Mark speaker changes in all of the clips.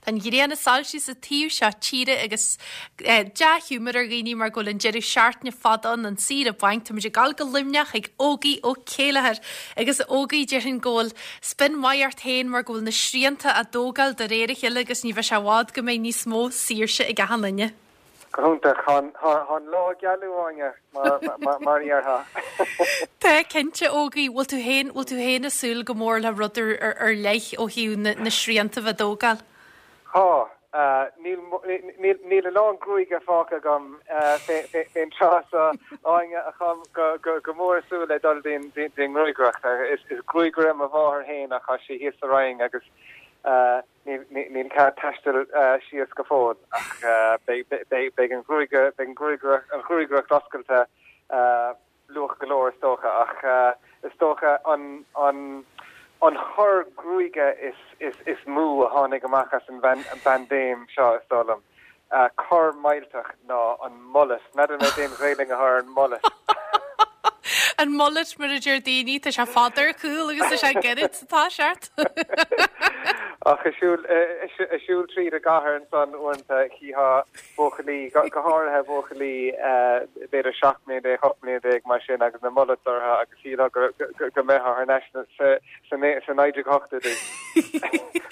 Speaker 1: Tá an ghrian ag soilsiú sa taobh seo tíre agus dea-ghiúmar ar dhaoine mar go bhfuil an deireadh seachtaine fada ann, an saoire bainc. Táimid ag gabháil go Luimneach ag Ógie Ó Céilleachair agus a Ógie déarfainn go bhfuil spion maith ort féin mar go bhfuil na srianta á dtógáil de réir a chéile agus ní bheidh sé i bhfad go mbeidh níos mó saoirse ag achan duine.
Speaker 2: Go hiontach. Tá an lá ag gealú, Áine, mar a déarfá.
Speaker 1: Tá, cinnte, Ógie. Bhfuil tú féin, bhfuil tú féin ag súil go mór le rud ar leith ó thaobh na srianta a bheith á dtógáil?
Speaker 2: Tá. Níl a lán gruaige fágtha agam fén tráth seo, Áine, ach táim go mór ag súil le dul dtí'n ngruagaireacht. Is gruagaire mo mháthair féin ach tá sí thíos sa Rinn agus níl cead taisteal síos go fóill ach beidh an ghruagaireacht oscailte luath go leor is dócha, ach is dócha an an chor gruaige is mó a tháinig amach as an bpaindéim seo, is dóigh liom, cor millteach ná an mullet. N'fheadar mé cén Ghaelainn atá ar an mullet.
Speaker 1: An mullet mar a deir daoine, tá sé fada ar chúl agus tá sé gairid sa toiseacht.
Speaker 2: Ach ag siúl tríd an gcathair ansan uaireanta chítheá buachaillí, go háirithe buachaillí b'fhéidir 17 mbliana, 18 mbliana mar sin agus na mullets orthu agus shílfeá go mbeifeá thar n-ais sa 1980idí.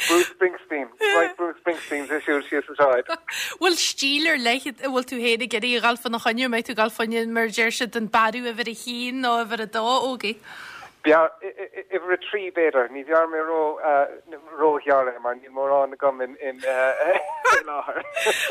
Speaker 2: Bruce Springsteen, right Bruce Springsteen ag siúl síos an tsráid.
Speaker 1: Bhfuil stíl ar leith a bhfuil tú féin ag iarraidh a dhul fána choinne, an mbeidh tú ag dul fá choinne mar a deir siad an bearradh uimhir a haon nó uimhir a dó, Ógie?
Speaker 2: Uimhir a 3 b'fhéidir. Ní bhearrfaidh mé ró-ghearr é mar níl mórán agam faoi láthair.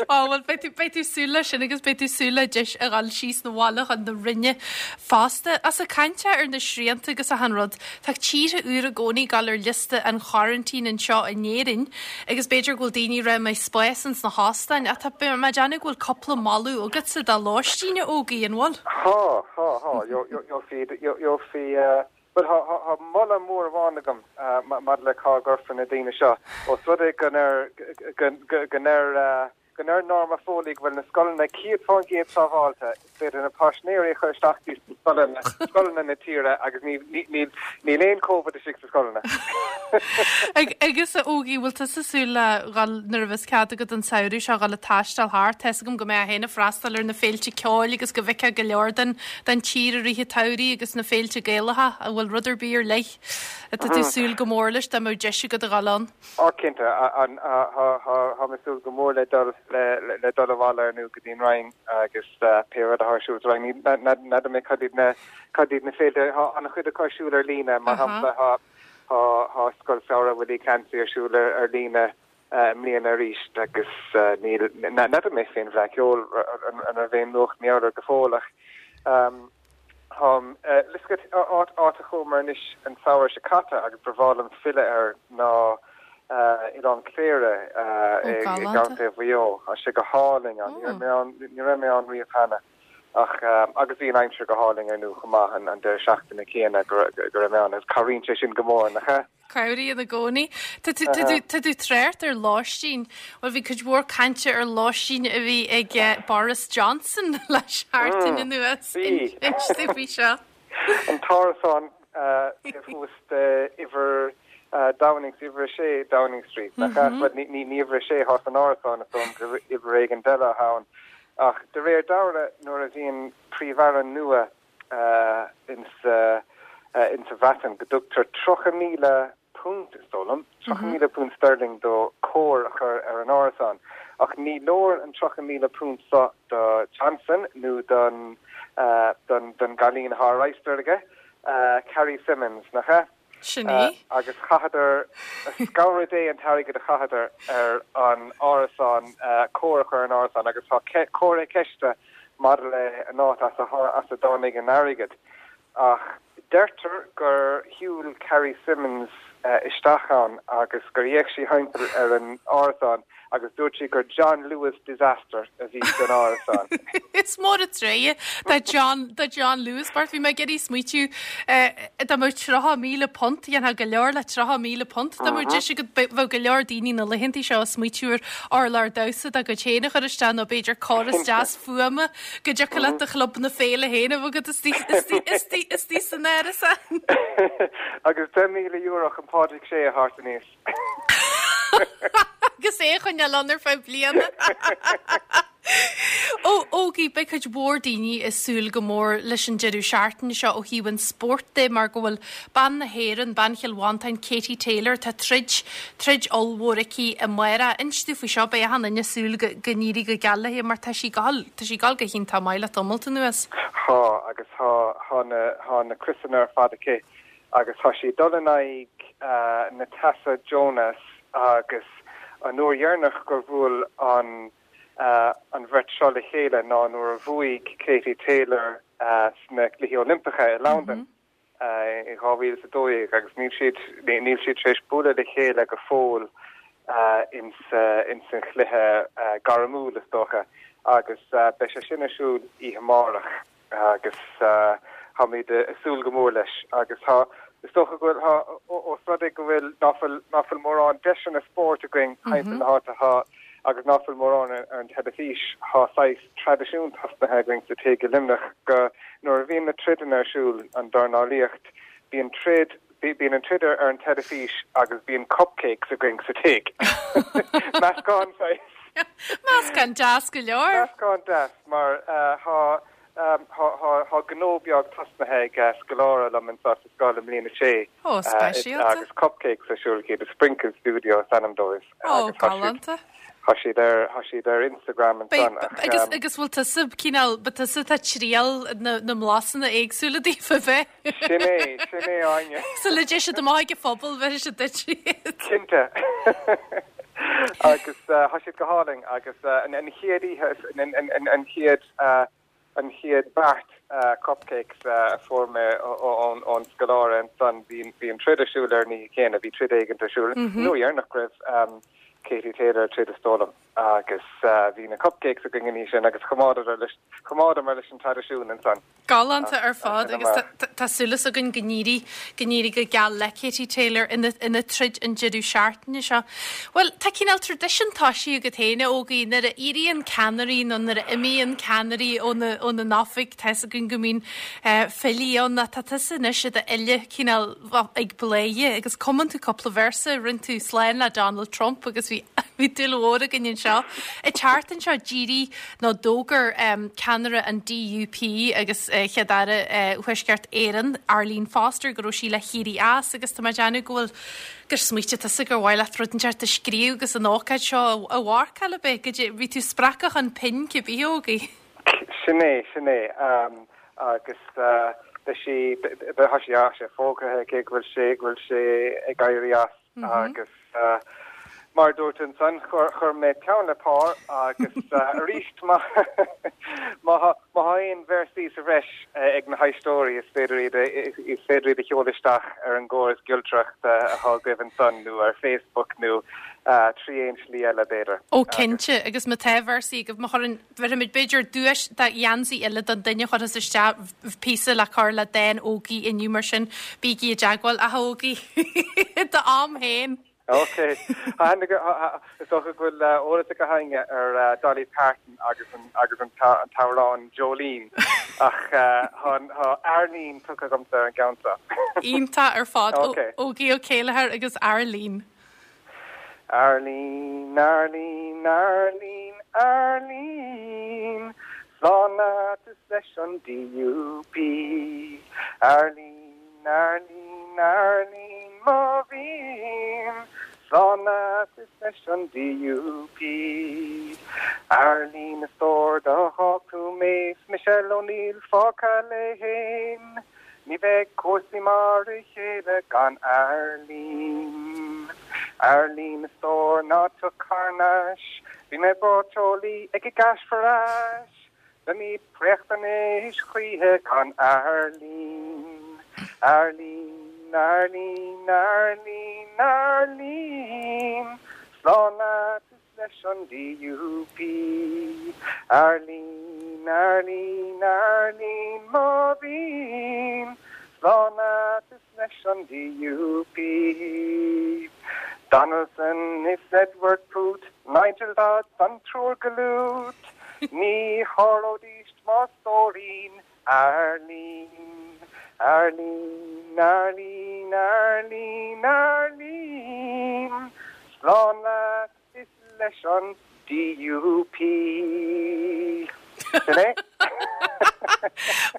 Speaker 1: Á bhuel beidh tú beidh tú súil leis sin agus beidh tú súil le deis a dhul síos na bhaile chun na Rinne fosta. Ach ag caint ar na srianta agus achan rud, tá tíortha úra i gcónaí ag dul ar liosta an choraintín anseo in Éirinn agus b'fhéidir go bhfuil daoine ag rá an mbeidh spás ins na hóstáin ach tá mé ag déanamh go bhfuil cúpla moladh agatsa do lóistín a Ógie, an bhfuil?
Speaker 2: Tá, tá, tá. Gheofaí, bhuel, tá moladh mór amháin agam maidir le cá gcuirfear na daoine seo. Ós rud é go ndeir, go ndeir, go ndeir Norma Foley go bhfuil na scoileanna 100% sábháilte, is féidir na paisinéirí a chur isteach dtí scoileanna, scoileanna na tíre agus ní, ní, níl aon Covid istigh sa scoileanna.
Speaker 1: Agus a Ógie, bhfuil tusa ag súil le dhul, nuair a bheas cead agat an samhradh seo, dhul ag taisteal thart? Tá's agam go mbeifeá féin ag freastal ar na féilte ceoil agus go bhfeicfeá go leor den den tír i rith an tsamhraidh agus na féilte Gaelacha. An bhfuil rud ar bith ar leith atá tú ag súil go mór leis dá mbeadh deis agat a dhul ann?
Speaker 2: Á cinnte, tá mé ag súil go mór le dul le dul abhaile ar ndú go dtí an Rinn agus pé rud atá ar siúl sa Rinn. N'fheadar mé cad iad na cad iad na féilte, tá an-chuid acu ar siúl ar líne, mar shampla tá tá Scoil Samhraidh Willie Clancy ar siúl ar líne i mbliana arís agus níl, n'fheadar mé fén bhFleadh Cheoil an raibh aon nuacht mar gheall air go fóill ach táim, áit, áit a chuamar anois an samhradh seo caite agus ba bhreá liom filleadh air ná Oileán Cléire i gContae Mhaigh Eo. Tá sé go hálainn ann. Ní raibh mé ann, ní raibh mé ann riamh cheana. Ach, agus bhí an aimsir go hálainn ar ndú chomh maith an deireadh seachtaine céanna go raibh mé ann agus cabhraíonn sé sin go mór, nach ea?
Speaker 1: Cabhraíonn i gcónaí. Tá tú, tá tú, tá tú trácht ar lóistín. Bhuel, bhí cuid mhór cainte ar lóistín a bhí ag Boris Johnson le seachtain anuas.
Speaker 2: Bhí.
Speaker 1: Inis dúinn faoi seo.
Speaker 2: An t-árasán taobh thuas de uimhir Downing, uimhir 6 Downing Street, nach ea? Bhuel, ní uimhir 6 atá san árasán, is dóigh liom gur uimhir éigin eile atá ann. Ach de réir dealraimh, nuair a bhíonn Príomh-Aire nua insa Bhreatain, go dtugtar 30,000 punt, is dóigh liom, 30,000 punt sterling dó cóir a chur ar an árasán. Ach ní leor an 30,000 punt so do Johnson nó don don gcailín atá ar adhastar aige, Carrie Symonds, nach ea?
Speaker 1: Sin í.
Speaker 2: Agus chaitheadar, scanradh Dé an t-airgead a chaitheadar ar an árasán, cóir a chur ar an árasán agus tá comhartha ceiste maidir le an áit as a dtáinig an airgead. Ach deirtear gur shiúil Carrie Symonds isteach ann agus gur fhéach sí thimpeall ar an árasán agus dúirt sí gur John Lewis disaster a bhí san árasán.
Speaker 1: Is mór an trua do John, do John Lewis bocht. Bhí mé ag iarraidh smaoitiú dá mbeadh £30,000, dhéanfá go leor le £30,000. Dá mbeadh deis agat, bheadh go leor daoine na laethanta seo ag smaoitiú ar urlár damhsa dá gcuid féin a chur isteach nó b'fhéidir córas deas fuaime go dtiocfadh leat do chlub na féile féin a bheith agat istigh san árasán.
Speaker 2: Agus €10,000 chun Pádraig Sé a thabhairt aníos.
Speaker 1: Agus é a choinneáil ann ar feadh bliana. Ó, Ógie, beidh cuid mhór daoine ag súil go mór leis an deireadh seachtaine seo ó thaobh an spóirt de mar go bhfuil bean na hÉireann, bean Chill Mhantáin, Katie Taylor, tá troid, troid ollmhór aici amárach. Inis dúinn faoi seo, beidh achan duine ag súil go, go n-éirí go geal léi mar tá sí ag gabháil, tá sí ag gabháil go hiontach maith le tamalt anuas.
Speaker 2: Tá, agus tá, tá na, tá na criosanna ar fad aici agus tá sí ag dul in aghaidh Natasha Jonas agus an uair dheireanach gur bhuail an an bheirt seo le chéile ná nuair a bhuaigh Katie Taylor sna Cluichí Oilimpeacha i Londain i 2012 agus níl siad níl siad tar éis bualadh le chéile go fóill ins ins an chluiche gairmiúil is dócha agus beidh sé sin ar siúl oíche amárach. agus táimid ag súil go mór leis agus tá, is dócha go bhfuil, tá, ós rud é go bhfuil, ná fuil, ná fuil mórán deiseanna spóirt againn timpeall na háite, tá, agus ná fuil mórán ar an teilifís, tá saghas traidisiún tosnaithe againn sa tigh i Luimneach go, nuair a bhíonn na troideanna ar siúl, an dornálaíocht, bíonn troid, bíonn an troid ar an teilifís agus bíonn cupcakes againn sa tigh. Meascán saghas.
Speaker 1: Meascán deas go leor.
Speaker 2: Meascán deas mar tá tá gnó beag tosnaithe ag scoláire liom anseo sa scoil i mbliain a sé.
Speaker 1: Ó, speisialta.
Speaker 2: Agus cupcakes ar siúl acu, The Sprinkle Studio is ainm dóibh.
Speaker 1: Ó, galánta.
Speaker 2: Tá siad ar, tá siad ar Instagram ansan
Speaker 1: ach. Agus, agus bhfuil tusa cineál, ba tusa atá ag triail na, na mblasanna éagsúla daofa a bheith?
Speaker 2: Sin é, sin é Áine.
Speaker 1: Sula dté siad amach ag an phobal, bheir siad duit
Speaker 2: iad. Cinnte. Agus tá siad go hálainn agus an chéad oíche, an chéad, an chéad beart cupcakes a fuair mé ón scoláire ansan, bhí an troid ar siúl ar an oíche chéanna, bhí troid éigint ar siúl, an uair dheireanach go raibh Katie Taylor ag troid is dóigh liom, agus bhí na cupcakes againn an oíche sin agus choimeádamar leis, choimeádamar leis an traidisiún ansan.
Speaker 1: Galánta ar fad agus tá súil againn go n-éirí, go n-éirí go geal le Katie Taylor ina, ina troid an deireadh seachtaine seo. Bhuel, tá cineál traidisiún toisithe agat féin, a Ógie, nuair a éiríonn ceannairí nó nuair a imíonn ceannairí óna, óna n-oifig, tá fhios againn go mbíonn filí ann ach tá tusa anois i d'fhile cineál ag bladhaire agus cumann tú cúpla véarsa, rinne tú slán le Donald Trump agus bhí, bhí dúil mhór againn anseo. An tseachtain seo d'éirigh nó d'fhógair ceannaire an DUP agus Chéad-Aire Thuaisceart Éireann, Arlene Foster, go raibh sí le héirí as agus tá mé ag déanamh go bhfuil, gur smaoitigh tusa gur mhaith leat rud inteacht a scríobh agus an ócáid seo a mharcáil, ab ea? Goidé, bhí tú spreagtha chun pinn cibé, a Ógie?
Speaker 2: Sin é, sin é. Agus beidh sí, tá sé, tá sé fógartha aici go bhfuil sé, go bhfuil sí ag éirí as. Agus mar a dúirt ansan, chuir mé peann le pár agus arís má tá aon véarsaí sa bhreis ag na héisteoirí is féidir iad is féidir iad a sheoladh isteach ar an gcóras giolcaireachta atá agaibh ansan nó ar Facebook nó trí aon slí eile b'fhéidir.
Speaker 1: Ó cinnte, agus má tá véarsaí agaibh, má chuireann Bhéarfaimid b'fhéidir duais de gheansaí eile don duine a chuirfeas isteach píosa le cur le dán Ógie inniu mar sin bígí i dteagmháil. A Ógie, i d'am féin!
Speaker 2: Ok. Is dócha go bhfuil eolas ag gach éinne ar Dolly Parton agus an agus an t-amhrán Jolene ach tá Arlene tugtha agamsa ar an gceann seo.
Speaker 1: Iontach ar fad. Ógie Ó Céilleachair agus Arlene.
Speaker 2: Arlene, Arlene, Arlene, Arlene, Slán leat is leis an DUP. Arlene, Arlene, Arlene, mo bhean, Slán leat is leis an DUP. Arlene, a stór, d'fhág tú mé 's Michelle O'Neill fágtha léi fhéin. Ní bheidh cúrsaí mar a chéile gan Arlene. Arlene, a stór, ná tiocfaidh thar n-ais, Bhí mé breá teolaí ag an gCash for Ash. Beimid préachta anois choíche gan Arlene. Arlene, Arlene, Arlene, Arlene, Slán leat is leis an DUP. Arlene, Arlene, Arlene, mo bhean, Slán leat is leis an DUP. Donaldson is Edward Poots, Nigel Dodds an triúr go lút, Ní sháróidíst mo stóirín, Arlene, Arlene, Arlene, Arlene, Arlene, Slán leat is. leis an DUP. Sin é.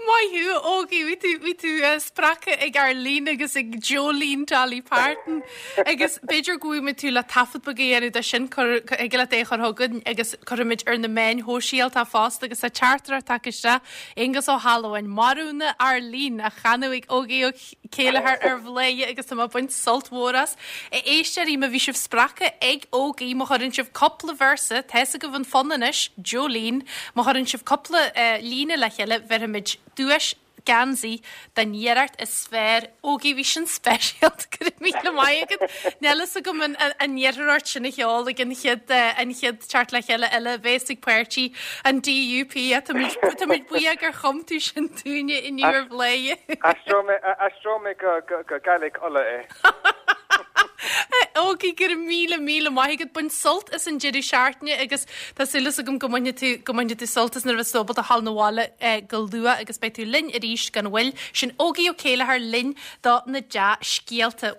Speaker 1: Maith thú, Ógie, bhí tú, bhí tú spreagtha ag Arlene agus ag Jolene Dolly Parton agus b'fhéidir go bhfaighimid tú le taifead beag a dhéanamh de sin, cur, thig leat é a chur chugainn agus cuirfimid ar na meáin shóisialta fosta agus tá teachtaireacht tagtha isteach, Aonghus Ó hAlmhain, Marbhna Arlene á chanadh ag Ógie Ó Céilleachair ar Bhladhaire agus tá mé ag baint sult mhór as. A éisteoirí, má bhí sibh spreagtha ag Ógie, má chuireann sibh cúpla véarsa, tá's agaibh an fonn anois, Jolene, má chuireann sibh cúpla líne le chéile, bheirfimid duais geansaí don iarracht is fearr. Ógie, bhí sin speisialta, go raibh míle maith agat. Níl fhios agam an iarrfar ort sin a cheol ag an chéad an chéad teacht le chéile eile a bheas ag páirtí an DUP. Táimid táimid buíoch gur chum tú sin dúinne inniu ar Bhladhaire.
Speaker 2: Aistreoidh mé aistreoidh mé go go go Gaelic Uladh é.
Speaker 1: Ógie, go raibh míle míle maith agat. Bain sult as an deireadh seachtaine agus tá súil agam go mbainfidh tú go mbainfidh tú sult as nuair a bheas tú ábalta a ghabháil 'na bhaile go luath agus beidh tú linn arís gan mhoill. Sin Ógie Ó Céilleachair linn do na dea-scéalta.